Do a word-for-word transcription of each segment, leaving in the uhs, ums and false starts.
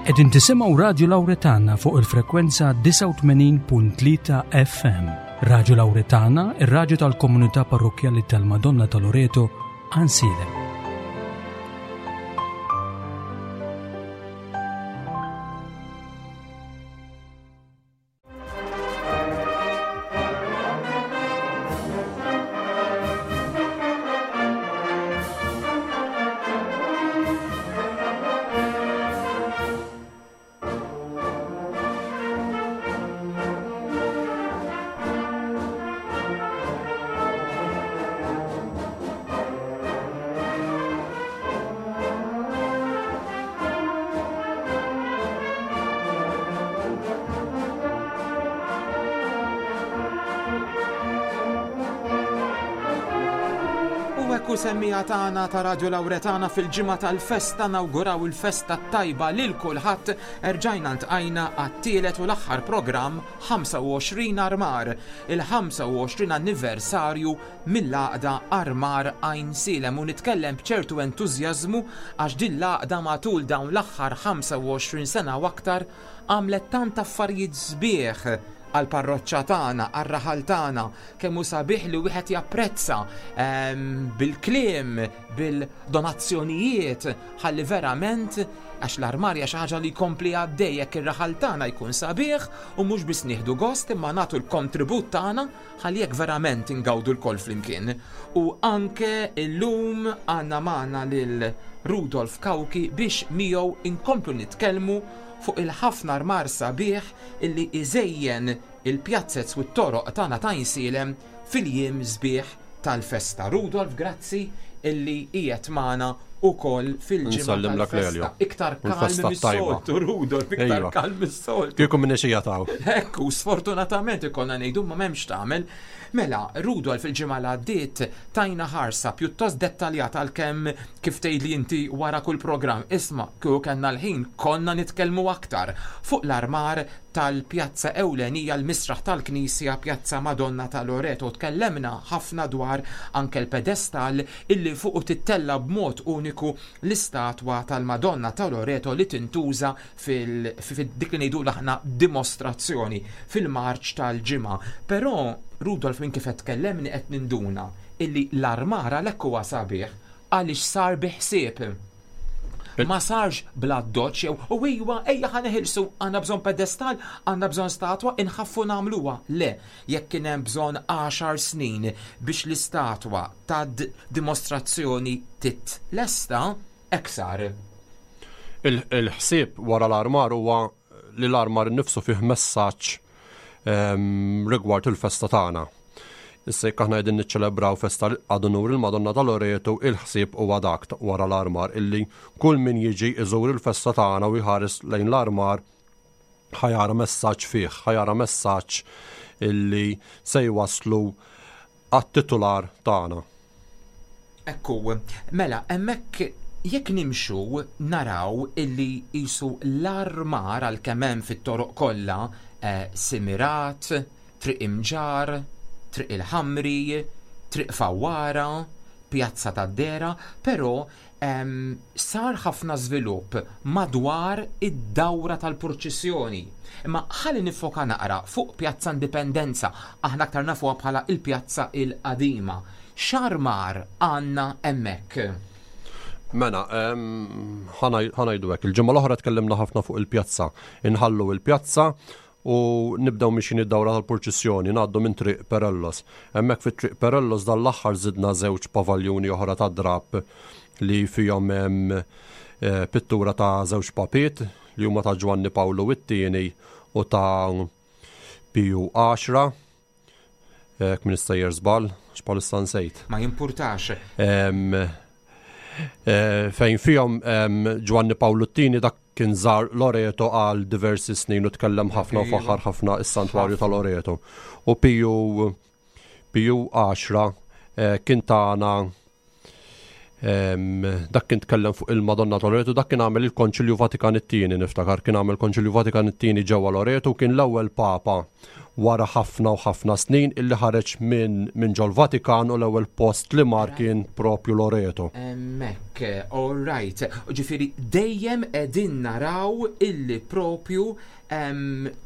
Qegħdin tisimgħu Radju Lawretana fuq il-frekwenza disgħa u tmenin punt tlieta F M. Radju Lawretana, ir-radju tal-komunità parrokkjali tal-Madonna ta' Loreto, Għajnsielem. U semmija tagħna ta' Radio Lawretana fil-ġimgħa tal-festa nawguraw il-festa tajba lil kulħadd. Erġajna ntqajna għat-tielet u l-aħħar programm ħamsa u għoxrin Armar, il-ħamsa u għoxrin anniversarju mill-għaqda Armar Għajnsielem, u nitkellem b'ċertu entużjażmu għax din l-għaqda matul dawn l-aħħar ħamsa u għoxrin sena u aktar għamlet tant affarijiet sbieħ għall-parroċċa tagħna, għar-raħal tagħna, kemm hu sabiħ li wieħed japprezza, ehm, bil-kliem, bil-donazzjonijiet, ħalli verament għax l-armarja xi ħaġa li jkompli għaddej jekk ir-raħal tagħna jkun sabiħ u mhux biss nieħdu gost imma nagħtu l-kontribut tagħna ħalli jekk verament ingawdu lkoll flimkien. U anke illum għandna magħna lil Rudolf Cauchi biex miegħu inkomplu nitkellmu fuq il-ħafna armar sabiħ illi iżejjen il-pjazzez u t-toroq tagħna ta' Għajnsielem fil-jiem sbieħ tal-festa. Rudolf, grazzi illi qiegħed magħna ukoll fil-ġimgħa Nsallimlek tal-festa. Lelio. Iktar U l-festa kalm tajba. mis-soltu, Rudolf, iktar Ejwa. kalm mis-soltu. Kieku minni xi jataw. Ekku, sfortunatament ikollna ngħidu ma m'hemmx tagħmel. Mela, Rudolf, il-ġimgħa li għaddiet tajna ħarsa pjuttost dettaljata għalkemm kif tgħidli inti wara kull programm. Isma', kieku kellna l-ħin konna nitkellmu aktar fuq l-armar tal-pjazza ewlenija l-misraħ tal-Knisja Pjazza Madonna ta' Loreto. Tkellemna ħafna dwar anke l-pedestal illi fuqu tittella b'mod uniku l-istatwa tal-Madonna ta' Loreto li tintuża fil-, fil-dik li ngħidu aħna dimostrazzjoni fil-marċ tal-ġimgħa. Però Rudolf, minn kif qed tkellemni qed ninduna illi l-armar għalhekk huwa sabiħ għaliex sar bi ħsieb. Il- Ma sarx bla doċ jew u iwa ejja ħa neħilsu, għandna bżonn pedestal, għandna bżonn statwa, inħaffu nagħmluha. Le, jekk kien hemm bżonn għaxar snin biex l-istatwa ta' d-, dimostrazzjoni titlesta, hekk sar. Il-, il-ħsieb wara l-armar huwa li l-armar innifsu fih messaġġ, ehm, rigward il-festa tagħna. Issa jekk aħna qegħdin niċċelebraw festa għad unur il-Madonna ta' Loreto, il-ħsieb huwa dak ta-, wara l-armar illi kull min jiġi iżur il-festa tagħna u jħares lejn l-armar ħajara messaġġ fih, ħajara messaġġ illi se jwaslu għat-titular tagħna. Ekku, mela, hemmhekk jekk nimxu naraw illi qisu l-armar għalkemm hemm fit-toroq kollha, eh, Simirat, Triq Imġar, Triq il-Ħamri, Triq Fawwara, Pjazza tad-Dera, però, ehm, sar ħafna żvilupp madwar id-dawra tal-purċissjoni. Imma ħalli nifoka naqra fuq Pjazza Indipendenza, aħna aktar nafuha bħala il-Pjazza il-Qadima. X'armar għandna hemmhekk? Mela, ehm, ħanaj-, ħanajdu hekk, il-ġimgħa l-oħra tkellimna ħafna fuq il-pjazza. Inħallu il-pjazza u nibdew mixin id-dawra tal-purċissjoni, ngħaddu minn Triq Perellos. Hemmhekk fi Triq Perellos dan l-aħħar żidna żewġ pavaljuni oħra ta' drap li fihom hemm, eh, pittura ta' żewġ papiet li huma ta' Ġwanni Pawlu it-tieni u ta' Piju għaxra. Jekk min istejjer żball, għax bħalissa nsejt. Ma jimpurtax. Em, eh, fejn fihom, em, Ġwanni Pawlu t-tieni dak kien żar Loreto għal diversi snin u tkellem ħafna u Iva. faħħar ħafna is-santwarju ta' Loreto. U Piju, Piju għaxra, eh, kien tagħna, Dak kien tkellem fuq il-Madonna ta' Loreto, dak kien għamel il-Konċilju Vatikan it-tieni, niftakar, kien għamel Konċilju Vatikan it-tieni ġewwa Loreto, kien l-ewwel Papa wara ħafna u ħafna snin illi ħareġ minn min ġol Vatikan u l-ewwel post li mar kien propju Loreto. Hemmhekk, all right. Ġifieri dejjem qegħdin naraw illi propju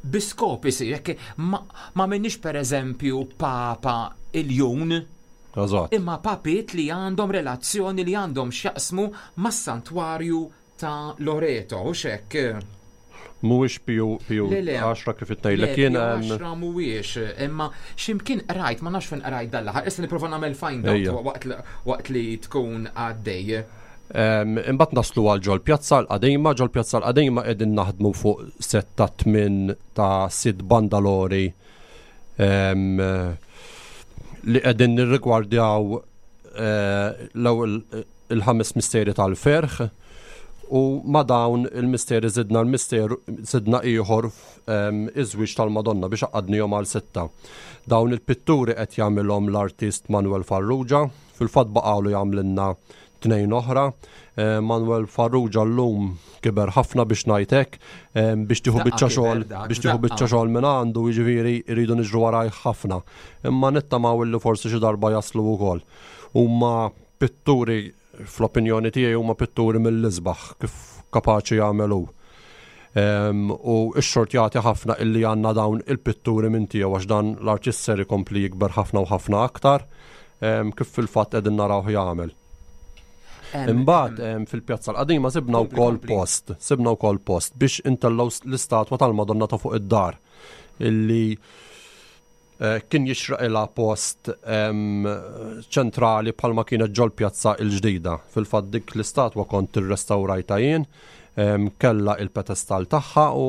bi skop isir, jekk ma, ma minnix per eżempju Papa Iljun, Eżatt. imma papiet li għandhom relazzjoni, li għandhom x'jaqsmu mas-santwarju ta' Loreto, u hekk. Mhuwiex Piju Piju Le, le. għaxra kif ngħidlek Le, jien. Piju em, għaxra mhuwiex, imma x'imkien qrajt, ma nafx fejn qrajt dal-aħħar, issa nipprova nagħmel find out Ejja. waqt li- waqt li tkun għaddej. Em, Imbagħad naslu għal ġol pjazza l-qadima, ġol pjazza l-qadima qegħdin naħdmu fuq set ta' tmin ta' sitt bandalori em, li qegħdin nirrigwardjaw eh, l-ewwel il-ħames misteri tal-ferħ u ma dawn il-misteri zidna l-misteru zidna ieħor em, iż-żwieġ tal-Madonna biex għaqqadnihom għal sitta. Dawn il-pitturi qed jagħmilhom l-artist Manuel Farrugia, fil-fatt baqgħu jagħmlilna tnejn oħra. Eh, Manuel Farrugia llum kiber ħafna biex ngħidlek, eh, biex tieħu Daqqa biċċa kiber xogħol, dak, biex tieħu daqqa. biċċa xogħol minn għandu, jiġifieri jridu niġru waraj ħafna. Imma nittamaw illi forsi xi darba jaslu wkoll. Huma pitturi, fl-opinjoni tiegħi, huma pitturi mill-isbaħ kif kapaċi jagħmelu. Um, u x-xort jagħti ħafna illi għandna dawn il-pitturi minn tiegħu għax dan l-artist ser ikompli jikber ħafna u ħafna aktar um, kif fil-fatt qegħdin narawh jagħmel. Em, Imbagħad em, fil-pjazza l-qadima sibna Kompli, wkoll kompli. post, sibna wkoll post biex intellgħu l-istatwa tal-Madonna ta' fuq id-dar illi eh, kien jixraqilha post em, ċentrali bħalma kienet ġol pjazza il-ġdida. Fil-fatt dik l-istatwa kont irrestawrajta jien, em, kella il-pedestal tagħha u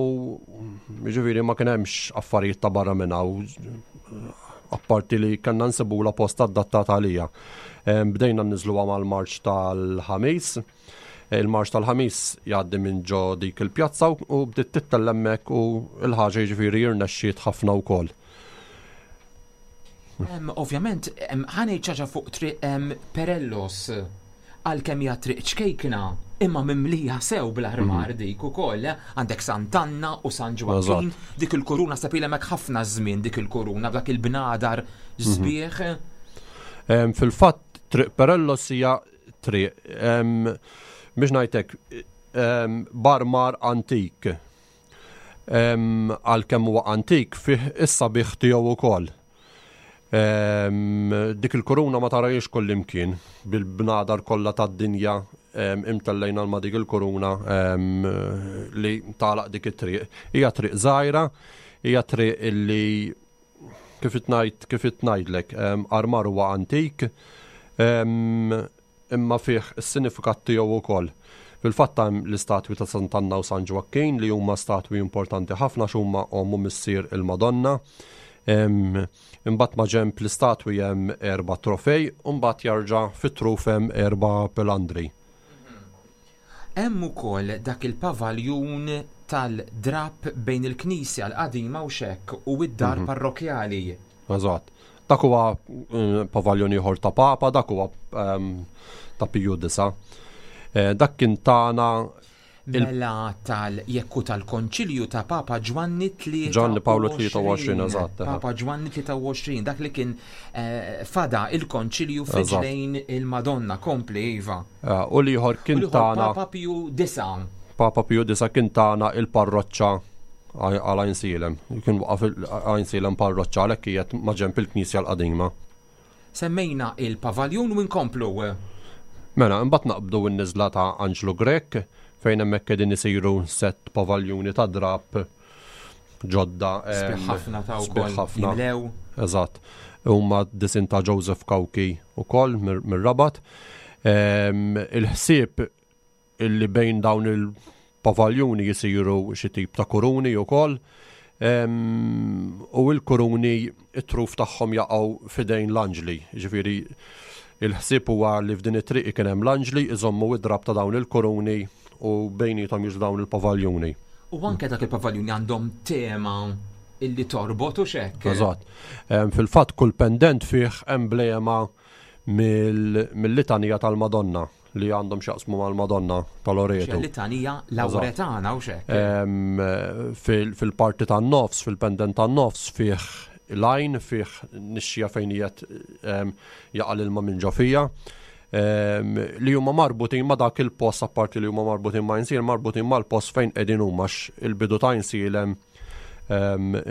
jiġifieri ma kien hemmx affarijiet ta' barra minnha u apparti li kellna nsibula post adattata għalija. Em, Bdejna nniżluha mal-marċ tal-Ħamis. Il-marċ tal-Ħamis jgħaddi minn ġo dik il-pjazza u- u bdiet tittella' hemmhekk u l-ħaġa jiġifieri jirnexxiet ħafna wkoll. Em, Ovvjament, em, ħa ngħid ħaġa fuq triq em, Perellos, għalkemm hija triq ċkejkna, imma mimlija sew bl-armar dik ukoll, eh? Għandek Sant'Anna u San Ġwakkin, dik il-kuruna sapila mek ħafna żmien dik il-kuruna b'dak il-bnadar sbieħ. Em, Fil-fatt triq Perellos hija triq em, biex ngħidlek em, b'armar antik. Em, Għalkemm huwa antik fih is-sabiħ tiegħu wkoll. Em, Dik il-kuruna ma tarajiex kullimkien bil-bnadar kollha tad-dinja em, imtellejna ma dik il-kuruna em, li tagħlaq dik it-triq. Hija triq żgħira, hija triq illi kif itnajt kif itnajdlek, em, armar huwa antik, em, imma fih is-sinifikat tiegħu wkoll. Fil-fatt hemm l-istatwi ta' Sant'Anna u San Ġwakkin li huma statwi importanti ħafna x'huma omm u missier il-Madonna. Em, Imbagħad ma ġemp l-istatwi hemm erba' trofej u mbagħad jarġa' fit-truf hemm erba' pilandri. Hemm ukoll dak il-pavaljun tal-drap bejn il-knisja l-qadima u xek u id-dar parrokjali. Eżatt. Dak huwa eh, pavaljon ieħor ta' Papa, dak huwa em, ta' Piju Disa. Eh, Dak kien tagħna Il- Mela tal jekku tal-konċilju ta' Papa Ġwanni tlieta u għoxrin. Ġwanni Pawlu tlieta u għoxrin, eżatt, eħe. Papa Ġwanni tlieta u għoxrin, dak li kien eh, fada il-konċilju Eżatt. f'riġlejn il-Madonna, kompli iva. eh, u l-ieħor U kien l-ieħor tagħna Papa Piju Disa. Papa Piju Disa kien tagħna il-parroċċa għal Għajnsielem. Kien waqaf Għajnsielem parroċċa għalhekk qiegħed ma' ġenb il-knisja l-qadima. Semmejna il-pavaljun u nkomplu. Mela, imbagħad naqbdu n-niżla ta' Anġlu Grech fejn hemmhekk qegħdin isiru set pavaljuni ta' drap ġodda. em, Sbieħ ħafna ta' sbieħ wkoll ħafna. jimlew. Eżatt. Huma disin ta' Joseph Cauchi ukoll mir- mir-Rabat. Em, Il-ħsieb illi bejn dawn il-pavaljuni jisiru xi tip ta' kuruni wkoll. Em, U il-kuruni it-truf tagħhom jaqgħu fidejn l-anġli. Ġifieri il-ħsieb huwa li f'din it-triq kien hemm l-anġli iżommu id-drab ta' dawn il-kuruni u bejnietom jiġu dawn il-pavaljuni. U anke dak il-pavaljuni għandhom tema illi torbot u xek. Eżatt. Em, Fil-fatt kull pendent fih emblema mill-litanija tal-Madonna li għandhom x'jaqsmu mal-Madonna ta' Loreto. Litanija Lauretana u xek. Fil-parti tan-nofs, fil-pendent tan-nofs fih lajn, fih nixxija fejn qiegħed jaqa' l-ilma minn ġo fija. Li huma marbutin ma' dak il-post, apparti li huma marbutin ma' Għajnsielem, marbutin mal-post fejn qegħdin huma, il-bidu ta' Għajnsielem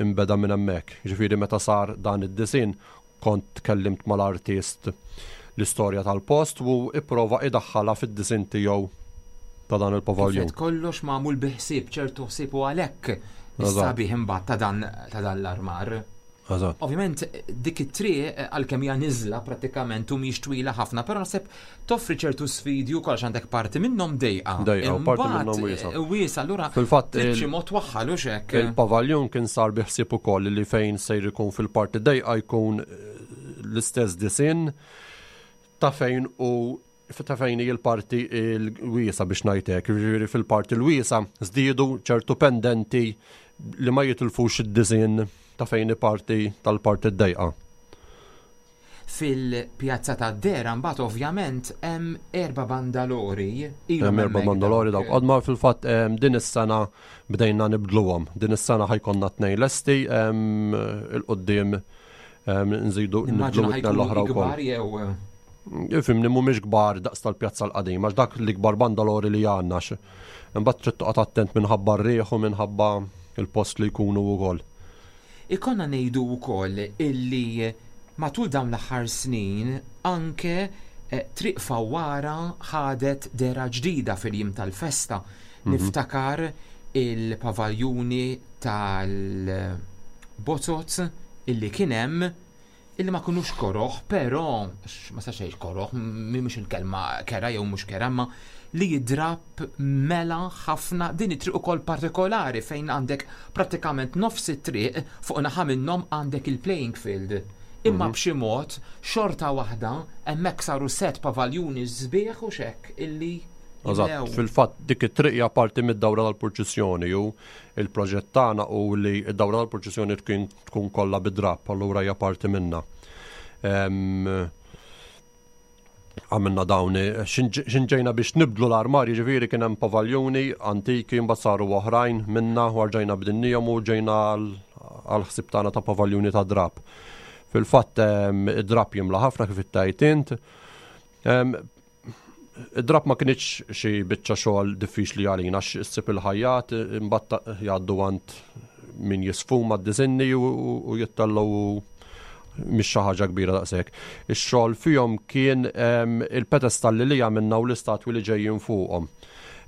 imbeda minn hemmhekk. Ġifieri meta sar dan id-disinn kont tkellimt mal-artist l-istorja tal-post u ipprova idaħħalha fid-disinn tiegħu ta' dan il-pavaljun. Kollox magħmul bi ħsieb, ċertu ħsieb, u għalhekk is-sabiħ imbagħad ta' dan ta' dan l-armar. Eżatt. Ovvjament dik it-triq, għalkemm hija niżla prattikament u mhix twila ħafna, però naħseb toffri ċertu sfidi wkoll, għandek parti minnhom dejqa. Dejqa u parti minnhom wiesa. Wiesa, allura Fil-fatt trid xi mod twaħħal u x'hekk. Il-pavaljun kien sar bi ħsieb ukoll li fejn sejr ikun fil-parti dejqa jkun l-istess disinn ta' fejn u ta' fejn hi l-parti l-wiesa, biex ngħidlek. Jiġifieri fil-parti l-wiesa żdiedu ċertu pendenti li ma jitilfux id-disinn ta' fejn parti tal-parti d-dejqa. Fil-pjazza ta' Dera mbagħad ovvjament hemm erba' bandalori. Ilhom Hemm erba' hemmhekk bandalori dawk. Dawk. Qodma fil-fatt em, din is-sena bdejna nibdluhom. Din is-sena ħa jkollna tnejn lesti, em, il-quddiem em, nżidu nibdlu Nimmaġina it-tnejn ħa jkunu l-oħra wkoll. kbar jew Ifhimni, mhumiex kbar daqs tal-pjazza l-qadima, għax dak l-ikbar bandalori li għandna. x- Imbagħad trid toqgħod attent minħabba r-riħ u minħabba il-post li jkunu wkoll. Ikollna ngħidu wkoll illi matul dawn l-aħħar snin anke eh, Triq Fawwara ħadet dehra ġdida fil-jiem tal-festa. Niftakar il-pavaljuni tal-bozoz illi kien hemm, illi ma kinux koroħ, però x- ma sax ngħid koroħ, mhix il-kelma kera jew mhux kera, ma li jidrab mela ħafna din it-triq ukoll partikolari fejn għandek prattikament nofs it-triq, fuq naħa minnhom għandek il-playing field. Imma b'xi mod xorta waħda hemmhekk saru set pavaljuni sbieħ u xek illi Eżatt, jimlew. fil-fatt dik it-triq hija parti mid-dawra tal-purċissjoni u il-proġett tagħna u li d-dawra tal-purċissjoni tkun tkun kollha bid-drab, allura hija parti minnha. Em, Għamilna dawn, xinġejna biex nibdlu l-armar, jiġifieri kien hemm pavaljuni antiki, mbagħad saru oħrajn minna u rġajna bdilnihom u ġejna għal ħsieb tagħna ta' pavaljuni ta' drab. Fil-fatt em, id-drab jimla ħafna kif ittajt int. Em, Id-drab ma kienx xi biċċa xogħol diffiċli għalina għax issib il-ħajjat, imbagħad jgħaddu għand min jisfuma d-disinni u, u jittellgħu u mhix xi ħaġa kbira daqshekk. Ix-xogħol fihom kien em, il-pedestalli li għamilna u l-istatwi li ġejjin fuqhom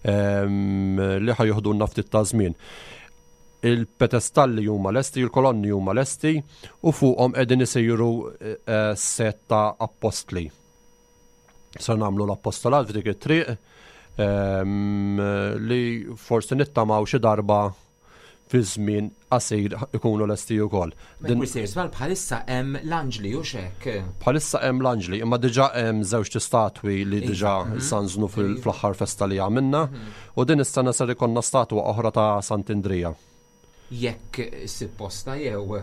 em, li ħa joħdulna ftit ta' żmien. Il-pedestalli huma lesti, il-kolonni huma lesti u fuqhom qegħdin isiru eh, set ta' appostli. Se nagħmlu l-appostolat f'dik it-triq em, li forsi nittamaw xi darba fi żmien qasir ikunu lesti wkoll. Ma jkun sejr żball, bħalissa hemm l-anġli u xek. Bħalissa hemm l-anġli, imma diġà hemm żewġ statwi li Iva, diġà mhm. sanżnu fil- Iva. fl-aħħar festa li għamilna u din is-sena ser ikollna statwa oħra ta' Sant'Indrija. Jekk issib posta jew.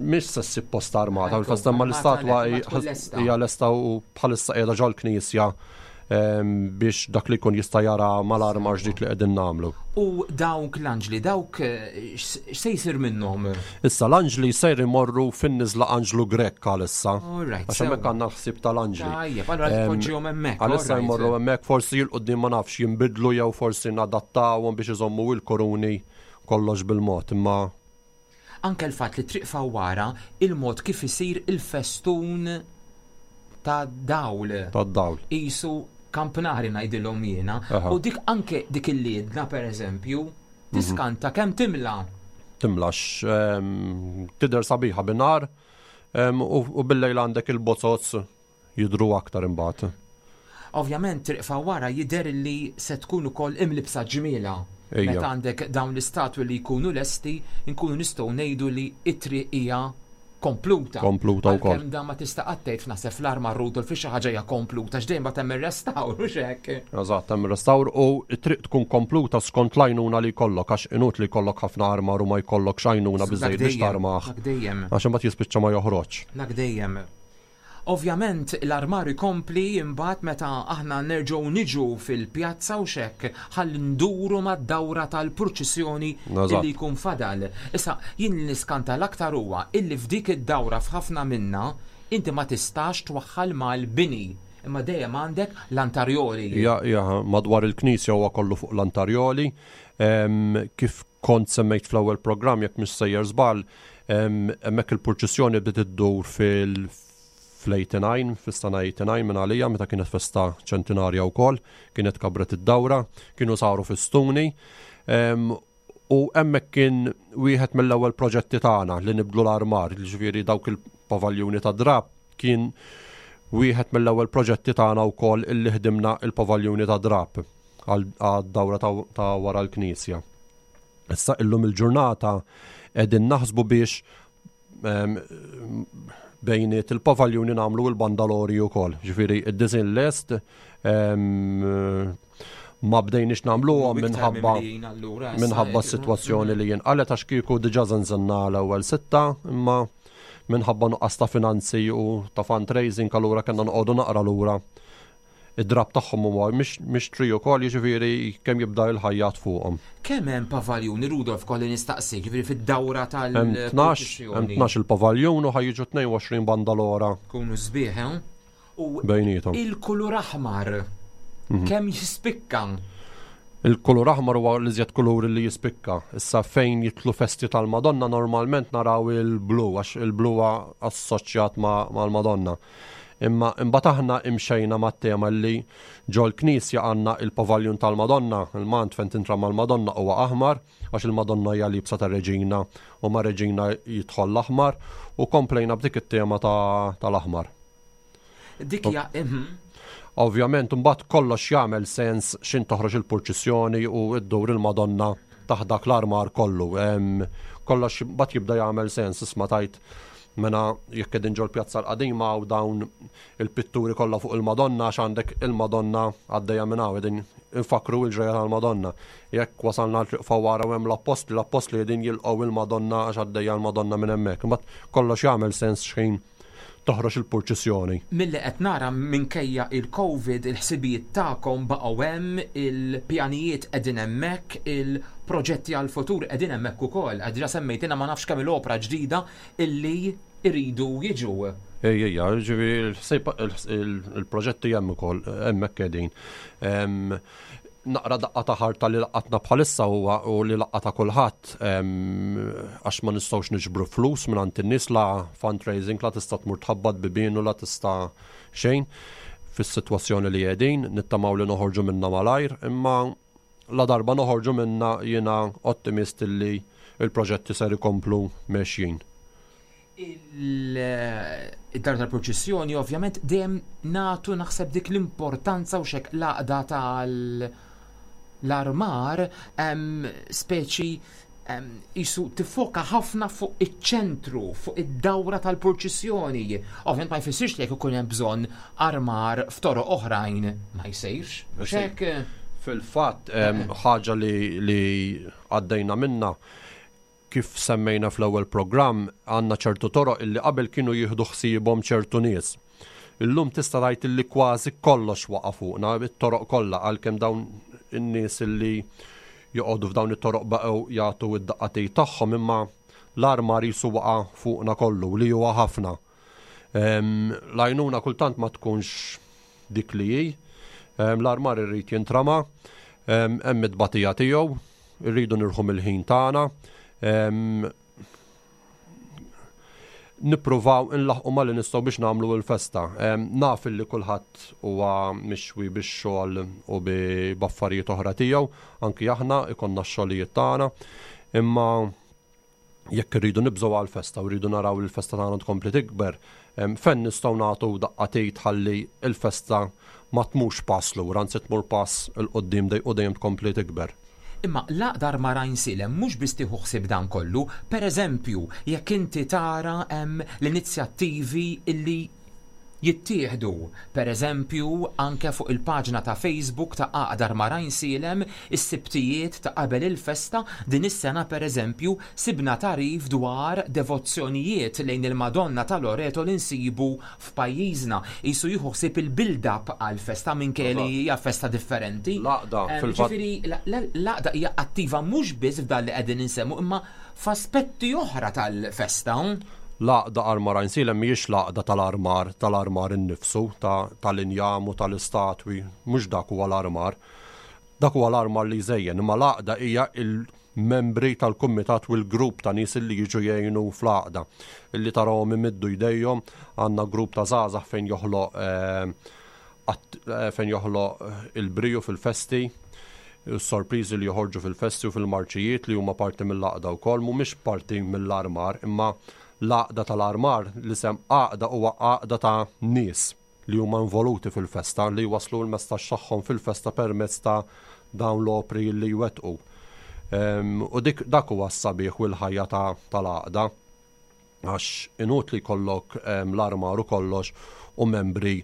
Mhix se ssib posta armata, Ekku, fil-festa, ma armata l-istatwa għalhekk ma tkun lesta. hija lesta u bħalissa qiegħda ġol-knisja em, biex dak li jkun jista' jara mal-armar ġdid li qegħdin nagħmlu. U dawk l-anġli, dawk eh, x'se jsir minnhom? Issa l-anġli sejr imorru fin-niżla Anġlu Grek għalissa. All right, Għax hemmhekk għandna l-ħsieb tal-anġli. Tajjeb, allura Em, tpoġġihom hemmhekk. Għalissa all right. jmorru hemmhekk, forsi 'l quddiem ma nafx jinbidlu jew forsi nadattawhom biex iżommu il-koruni, kollox bil-mod, imma Anke l-fatt li Triq Fawwara, il-mod kif isir il-festun ta' dawl. Tad-dawl. Isu kampnari ngħidilhom jiena. Aha. U dik anke dik il-liedna per eżempju, tiskanta kemm timla. Timlax, em, tidher sabiħa bin-nar em, u u bil-lejl għandek il-bozoz jidru aktar imbagħad. Ovvjament Triq Fawwara jidher li se tkun ukoll imlibsa ġmiela. Ejja. Meta għandek dawn l-istatwi li jkunu lesti, nkunu nistgħu ngħidu li it-triq hija kompluta. Kompluta wkoll. Għalkemm dan ma tista' qatt tgħid f'naħseb fl-armar Rudolf fi xi ħaġa hija kompluta, x'dejjem bagħad hemm ir-restawr u x'hekk. Eżatt, hemm restawr u t-triq tkun kompluta skont l-għajnuna li jkollok, għax inutli jkollok ħafna armar u ma jkollok x'għajnuna biżejjed biex Dak dejjem, tarmaħ. Dak dejjem. Għax imbagħad jispiċċa ma joħroġ. Dak dejjem. Ovvjament l-armar ikompli imbagħad meta aħna nerġgħu niġu fil-pjazza u xek ħalli nduru mad-dawra tal-purċissjoni Eżatt. illi jkun fadal. Issa jien li niskanta l-aktar huwa illi f'dik id-dawra f'ħafna minna inti ma tistax twaħħal mal-bini, imma dejjem għandek l-antarjoli. Ja, ja, madwar il-knisja huwa kollu fuq l-antarjoli. Em, kif kont semmejt fl-ewwel programm, jekk mhux sejjer żball, em, hemmhekk il-purċissjoni bdiet iddur fil fl-eighty-nine, fis-sena eighty-nine minn għalija, meta kienet festa ċentinarja wkoll, kienet kabret id-dawra, kienu saru fistuni. Em, u hemmhekk kien wieħed mill-ewwel proġetti tagħna li nibdlu l-armar, ġifieri dawk il-pavaljuni ta' drab kien wieħed mill-ewwel proġetti tagħna wkoll illi ħdimna il-pavaljuni ta' drab għad-dawra ta', ta' wara l-knisja. Issa illum il-ġurnata qegħdin naħsbu biex em, bejniet il-pavaljuni nagħmlu l-bandalori wkoll. Ġifieri id-design lest em, ma bdejniex nagħmluhom Iktar minħabba mimlijin allura, issa minħabba jekk- s-sitwazzjoni li jinqalet, għax kieku diġà żenżenna l-ewwel sitta, imma minħabba nuqqas ta' finanzi u ta' fundraising allura kellna noqogħdu naqra lura. Id-drab tagħhom huwa mhix mixtri wkoll, jiġifieri kemm jibda il-ħajjat fuqhom. Kemm hemm pavaljuni, Rudolf, kolli nistaqsik, ġifieri fid-dawra Hemm tnax, hemm tal-purċissjoni? tnax il-pavaljun u ħa jiġu tnejn u għoxrin bandalora Kunu sbieħ, eh? U bejnietom. il-kulur aħmar Mhm. kemm jispikka? Il-kulur aħmar huwa l-iżjed kulur li jispikka. Issa fejn jidħlu festi tal-Madonna normalment naraw il-blu, għax il-blu huwa assoċjat ma' mal-Madonna. Imma imbagħad aħna imxejna mat-tema li ġol knisja għandna il-pavaljun tal-Madonna, il-mant fejn tintra mal-Madonna huwa aħmar, għax il-Madonna hija libsa tar-Reġina u ma' Reġina jidħol l-aħmar, u komplejna b'dik it-tema ta- tal-aħmar. Dik hija mhm. Ovvjament, mbagħad kollox jagħmel sens xin toħroġ il-purċissjoni u iddur il-Madonna taħt dak l-armar kollu. Em, Kollox mbagħad jibda jagħmel sens, isma' tajt mena jekk qegħdin ġol pjazza l-qadima u dawn il-pitturi kollha fuq il-Madonna, għax għandek il-Madonna għaddejja minn hawn, qegħdin infakru l-ġrajja tal-Madonna. Jekk wasalna l-triq Fawwara u hemm l-appostli, l-appostli qegħdin jilqgħu il-Madonna għax għaddejja l-Madonna minn hemmhekk. Imbagħad kollox jagħmel sens xejn toħroġ il-purċissjoni. Milli qed nara, minkejja il-Covid, il-ħsibijiet tagħkom baqgħu hemm, il-pjanijiet qegħdin hemmhekk, il-proġetti għal-futur qegħdin hemmhekk ukoll. Qed diġà semmejtina ma nafx kemm il-opra ġdida illi iridu jiġu. Ejja, ejja, ġifieri il-proġetti hemm ukoll, hemmhekk qegħdin. Em, Naqra daqqa ta' ħarta li laqatna bħalissa huwa u li laqata kulħadd, em, għax ma nistgħux niġbru flus minn għand in-nies, la fundraising, la tista' tmur tħabbat bibien u la tista' xejn fis-sitwazzjoni li qegħdin, nittamaw li noħorġu minna malajr, imma la darba noħorġu minna jiena ottimist li il-proġetti ser ikomplu mexjin. Il-dar tal-purċissjoni ovvjament dejjem nagħtu naħseb dik l-importanza u xek l-għaqda tal-armar em, speċi em, jisu tifoka ħafna fuq iċ-ċentru, fuq id-dawra tal-purċissjoni. Ovvjament ma jfissirx li jekk ikun hemm bżonn armar f'toroq oħrajn ma jsirx. Xek Fil-fatt, em, ħaġa li, li għaddejna minna, kif semmejna fl-ewwel programm, għandna ċertu toroq illi qabel kienu jieħdu ħsiebhom ċertu nies. Illum tista' tgħid illi kważi kollox waqa' fuqna, it-toroq kollha, għalkemm dawn in-nies illi joqogħdu f'dawn it-toroq baqgħu jagħtu id-daqqatej tagħhom, imma l-armar jisu waqa' fuqna kollu li huwa ħafna. Em, L-għajnuna kultant ma tkunx dik li hi. Em, L-armar irrid jintrama, em, hemm it-tbatija tiegħu, irridu nirħu mill-ħin tagħna. Em, Nippruvaw inlaħqu ma li nistgħu biex nagħmlu l-festa. Em, Naf li kulħadd huwa mixwi bix-xogħol u bi b'affarijiet oħra tiegħu, anki aħna ikollna x-xogħlijiet tagħna, imma jekk irridu nibżgħu għall-festa u rridu naraw li l-festa tagħna tkompli tikber, em, fejn nistgħu nagħtu daqqa t'id ħalli l-festa ma tmurx pass lura, anzi tmur pass 'il quddiem dej u dejjem tkompli tikber. Imma l-Għaqda Armar Għajnsielem mhux biss tieħu ħsieb dan kollu, per eżempju, jekk inti tara hemm l-inizjattivi illi jittieħdu. Per eżempju, anke fuq il-paġna ta' Facebook ta' Għaqda Armar Għajnsielem, is-Sibtijiet ta' qabel il-festa, din is-sena per eżempju, sibna tagħrif dwar devozzjonijiet lejn il-Madonna ta' Loreto li nsibu f'pajjiżna. Qisu jieħu ħsieb il-build-up għal-festa minkejja li hija festa differenti. L-għaqda fil-fatt. Ġifieri l-għaqda hija attiva mhux biss f'dan li qegħdin insemmu imma f'aspetti oħra tal-festa. L-Għaqda Armar Għajnsielem mhijiex l-għaqda tal-armar, tal-armar innifsu, tal-injam u tal-istatwi, mhux dak huwa l-armar. Dak huwa l-armar li jżejjen, imma l-għaqda hija il-membri tal-kumitat u l-grupp ta' nies li jiġu jgħinu fl-għaqda. Illi tarawhom imiddu jdejhom, għandna grupp ta' żgħażagħ fejn joħloq fejn joħloq il-briju fil-festi, sorpriżi li joħorġu fil-festi u fil-marċijiet li huma parti mill-għaqda wkoll, mhumiex parti mill-armar, imma l-għaqda tal-armar, l-isem għaqda huwa għaqda ta' nies li huma involuti fil-festa, li waslu l-messaġġ tagħhom fil-festa permezz ta' dawn l-opri li jwettqu. U dik dak huwa s-sabiħ u l-ħajja tal-għaqda, għax inutli jkollok l-armar u kollox u membri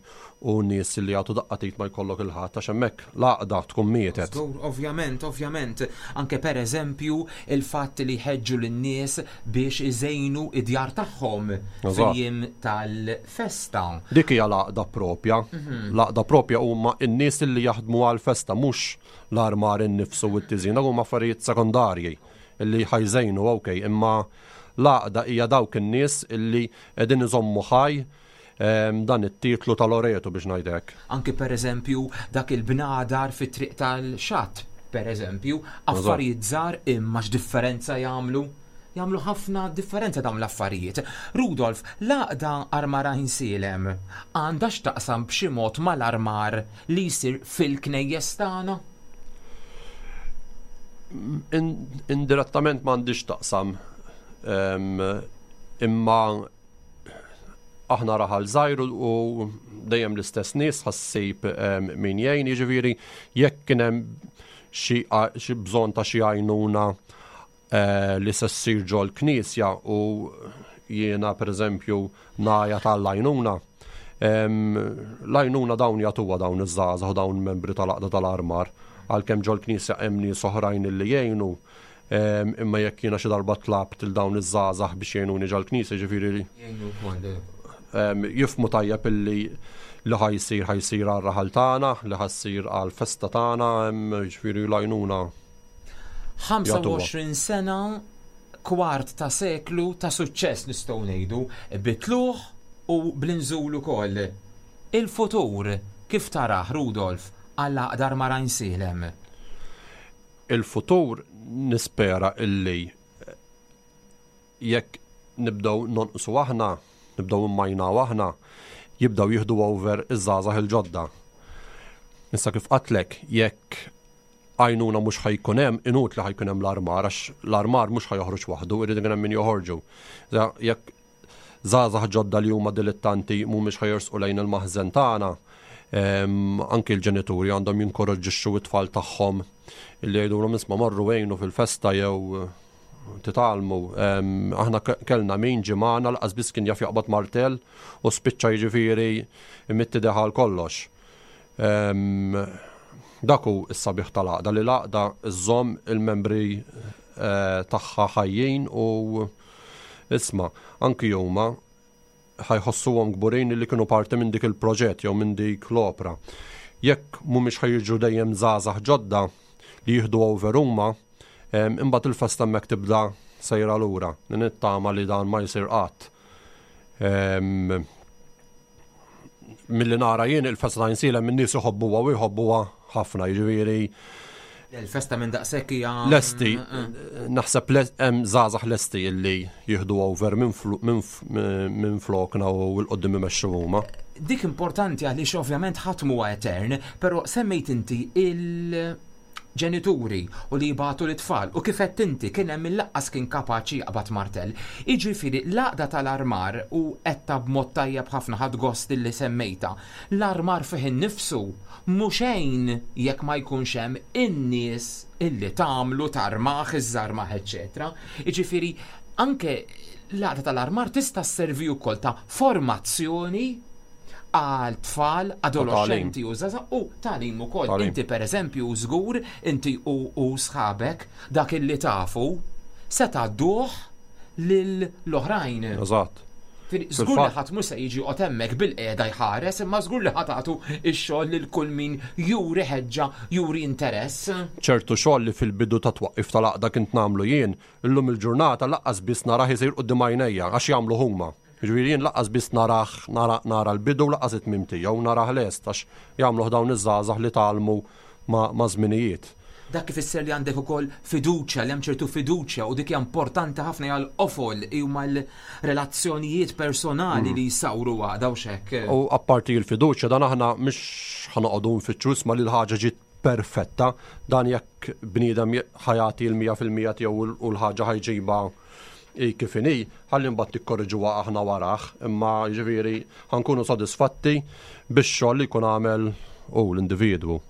u nies li jagħtu daqqa t'id ma jkollok il-ħadd, għax hemmhekk l-għaqda tkun mietet. Ovvjament, ovvjament, anke per eżempju il-fatt li jħeġġu lin-nies biex iżejnu id-djar tagħhom fil-jiem tal-festa. Dik hija l-għaqda propja. L-għaqda propja huma n-nies li jaħdmu għall-festa, mhux l-armar innifsu u t-tiżin, dak huma affarijiet sekondarji illi ħajżejnu, okej, imma l-għaqda hija dawk in-nies illi qegħdin iżommu ħaj dan it-titlu tal-Loreto biex ngħidlek. Anki per eżempju dak il-bnadar fit-triq tal-xatt, per eżempju, affarijiet żgħar imma x'differenza jagħmlu? Jagħmlu ħafna differenza dawn l-affarijiet. Rudolf, l-għaqda Armar Għajnsielem għandha x'taqsam b'xi mod mal-armar li jsir fil-knejjes tagħna? Indirettament m'għandix taqsam, imma aħna raħal żgħir u dejjem l-istess nies ħassib min jgħin, jiġifieri jekk kien hemm xi bżonn ta' xi għajnuna li se ssir ġol-knisja u jiena pereżempju ngħajja tal-għajnuna, l-għajnuna dawn jagħtuha dawn iż-żgħażagħ u dawn membri tal-għaqda tal-armar, għalkemm ġol-knisja hemm nies oħrajn li jgħinu, imma jekk jiena xi darba tlabt il dawn iż-żgħażagħ biex jgħinuni ġol-knisja, jiġifieri Jgħinu wkoll. Jifmu tajjeb illi li ħajsir ħajsir għar-raħal tagħna, li ħassir għall-festa tagħna, jiġifieri l-għajnuna. ħamsa u għoxrin sena, kwart ta' seklu ta' suċċess nistgħu ngħidu, bitluħ u bl-inżul ukoll. Il-futur kif tarah, Rudolf, għall-Għaqda Armar Għajnsielem? Il-futur nispera illi jekk nibdew nonqsu aħna, nibdew immajnaw aħna, jibdew jieħdu over iż-żgħażagħ il-ġodda. Issa kif qatlek, jekk għajnuna mhux ħajkun hemm, inutli ħajkun hemm l-armar, għax l-armar mhux ħajoħroġ waħdu, irid ikun hemm min joħorġu. Jekk żgħażagħ ġodda li huma dilettanti mhumiex ħajersqu lejn il-maħżen tagħna, anki l-ġenituri għandhom jinkoraġġixxu t-tfal tagħhom illi jgħidulhom isma' marru għejnu fil-festa jew titgħallmu. Aħna kellna min ġie magħna laqas biss kien jaf jaqbad martell u spiċċa jiġifieri imitti deħal kollox. Dak hu s-sabiħ tal-għaqda, li l-għaqda żżomm il-membri tagħha ħajjin u isma' anki huma ħajħossuhom kburin li kienu parti minn dik il-proġett jew minn dik l-opra. Jekk mhumiex ħajjiġu dejjem żgħażagħ ġodda li jieħdu over huma, imbagħad il-festa hemmhekk tibda sejra lura. Nittama li dan ma jsir qatt. Milli nara jien il-festa ta' Għajnsielem in-nies iħobbuha u jħobbuha ħafna, jiġifieri Il-festa minn daqshekk hija Lesti, naħseb hemm żgħażagħ lesti illi jieħdu over minn flokna u l-qoddim imexxu huma. Dik importanti għaliex ovvjament ħadd huwa etern, però semmejt inti il-ġenituri u li jibgħatu l-itfal u kif qed inti kien hemm il-laqqas kien kapaċi jaqbad martell. Jiġifieri l-għaqda tal-armar u qedta b'mod tajjeb ħafna ħadd gost illi semmejta. L-armar fih innifsu mhux xejn jekk ma jkunx hemm in-nies illi tagħmlu tarmaħ, iżżarmaħ, eċċetera. Jiġifieri anke l-għaqda tal-armar tista' sservi wkoll ta' formazzjoni Għal tfal, adolescenti u żgħażagħ u tagħlim ukoll. Inti pereżempju żgur, inti u sħabek dak illi tafu se tgħadduh lill-oħrajn. Eżatt. Żgur li ħadd mhux se jiġi joqgħod hemmhekk bil-qiegħda jħares, imma żgur li ħa tagħtu x-xogħol lil kull min juri ħeġġa, juri interess. Ċertu xogħol li fil-bidu ta' twaqqif tal-għaqda kint nagħmlu jien, illum il-ġurnata lanqas biss narah isir quddiem għajnejja għax jagħmlu huma. Jiġifieri jien lanqas biss narah nara l-bidu lanqas it-tmiem tiegħu narah lest għax jagħmluh dawn iż-żgħażagħ li tgħallmu ma' żminijiet. Dak ifisser li għandek ukoll fiduċja, li hemm ċertu fiduċja u dik hija importanti ħafna hija l-qofol huma l-relazzjonijiet personali li jsawru għaqda u x'hekk. U apparti l-fiduċja dan aħna mhux ħa noqogħdu nfittxu isma' li l-ħaġa ġiet perfetta, dan jekk bniedem ħa jagħti l-mija fil-mija tiegħu u l-ħaġa ħa jġibha kif inhi, ħalli mbagħad nikkorriġuha aħna warah, imma jiġifieri ħa nkunu sodisfatti bix-xogħol li jkun għamel hu l-individwu.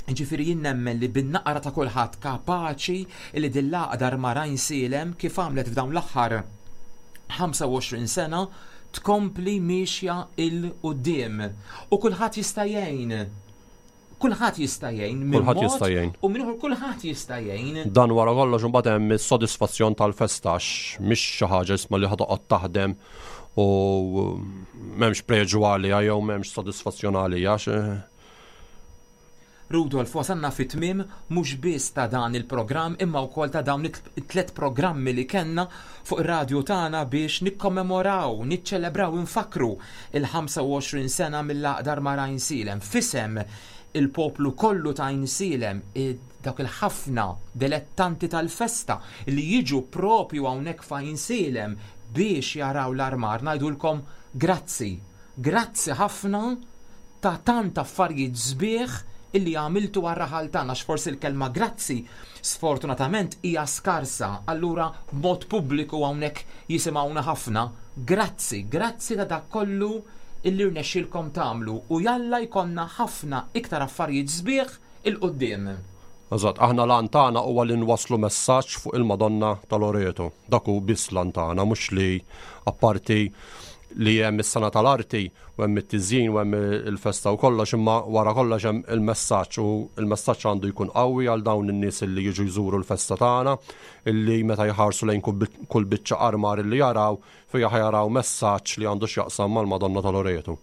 Ġifieri jien nemmen li bin-naqra ta' kulħadd kapaċi li din l-għaqda Armar Għajnsielem kif għamlet f'dawn l-aħħar ħamsa u għoxrin sena tkompli miexja 'l quddiem. U kulħadd jista' jgħin. Kulħadd jista' jgħin minn Kulħadd mod jista' jgħin. U minn ieħor kulħadd jista' jgħin. Dan wara kollox imbagħad hemm is-sodisfazzjon tal-festa għax mhix xi ħaġa isma' li ħa toqgħod taħdem u m'hemmx preġu għaliha jew m'hemmx sodisfazzjon għaliha għax Rudolf, wasalna fi tmiem mhux biss ta' dan il-programm imma wkoll ta' dawn it-tliet programmi li kellna fuq ir-radju tagħna biex nikkommemoraw, niċċelebraw, infakru il-ħamsa u għoxrin sena mill-għaqda Armar Għajnsielem. Fisem il-poplu kollu ta' Għajnsielem, dawk il-ħafna dilettanti tal-festa li jiġu propju hawnhekk f'Għajnsielem biex jaraw l-armar, ngħidulkom grazzi, grazzi ħafna ta' tant affarijiet sbieħ illi għamiltu għar-raħal tagħna, għax forsi l-kelma grazzi sfortunatament hija skarsa, allura b'mod pubbliku hawnhekk jisimgħuna ħafna. Grazzi, grazzi ta' dak kollu illi rnexxielkom tagħmlu u jalla jkollna ħafna iktar affarijiet sbieħ il-quddiem. Eżatt, aħna l-għan tagħna huwa li nwasslu messaġġ fuq il-Madonna ta' Loreto. Dak hu biss l-għan tagħna, mhux li apparti li hemm is-sena tal-arti u hemm it-tiżjin u hemm il-festa u kollox, imma wara kollox hemm il-messaġġ u il-messaġġ għandu jkun qawwi għal dawn in-nies li jiġu jżuru l-festa tagħna, illi meta jħarsu lejn kull bi-, kull biċċa armar illi jaraw, fiha ħajaraw messaġġ li għandu x'jaqsam mal-Madonna ta' Loreto.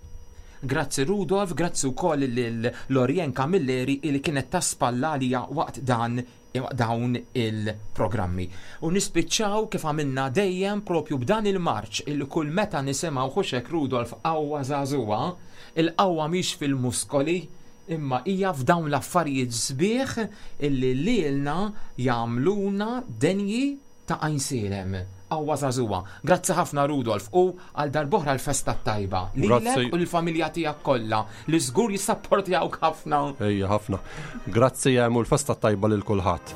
Grazzi Rudolf, grazzi wkoll lil Lorien Camilleri illi kienet ta' spalla għalija waqt dan dawn il-programmi. U nispiċċaw kif għamilna dejjem propju b'dan il-marċ illi kull meta nisimgħu ħuxek Rudolf qawwa żagħżugħa, il-qawwa mhix fil-muskoli imma hija f'dawn l-affarijiet sbieħ illi lilna jagħmluna denji ta' Għajnsielem. Qawwa żagħżugħa. Grazzi ħafna Rudolf u għal darb'oħra l-festa t-tajba. Lilek Grazzi. u l-familja tiegħek kollha li żgur jissapportjawk ħafna. Ejja ħafna. Grazzi hemm u l-festa t-tajba lil kulħadd.